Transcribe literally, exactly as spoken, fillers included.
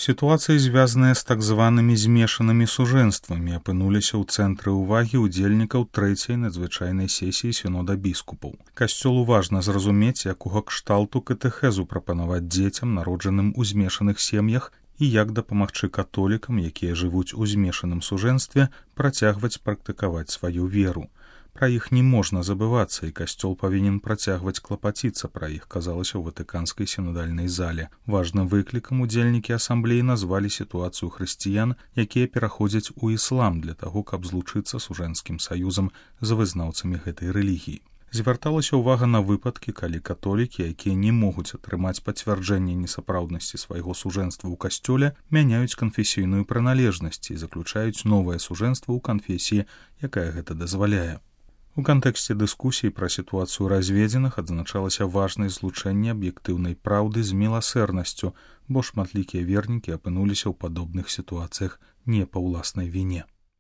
Сітуацыі, звязаныя з так званымі змешанымі сужэнствамі, апынуліся ў цэнтры ўвагі ўдзельнікаў трэцяй надзвычайнай сесіі сінода біскупаў. Касцёлу важна зразумець, якога кшталту катэхезу прапанаваць дзецям, народжаным у змешаных сем'ях, і як дапамагчы католікам, якія жывуць у змешаным сужэнстве, працягваць практыкаваць сваю веру. Пра іх не можна забывацца, і касцёл павінен працягваць клапаціцца пра іх, казалася ў ватыканскай сінодальнай зале. Важным выклікам удзельнікі асамблеі назвалі сітуацыю хрысціян, якія пераходзяць у іслам для таго, каб злучыцца сужэнскім саюзам з вызнаўцамі гэтай рэлігіі. Звярталася ўвага на выпадкі, калі католікі, якія не могуць атрымаць пацвярджэнне несапраўднасці свайго сужэнства ў касцёле, мяняюць канфесійную прыналежнасць і заключаюць новае сужэнства ў канфесіі, якая гэта дазваляе. У кантэксце дыскусій пра сітуацыю разведзеных адзначалася важнасць злучэння аб'ектыўнай праўды з міласэрнасцю, бо шматлікія вернікі апынуліся ў падобных сітуацыях не па ўласнай віне.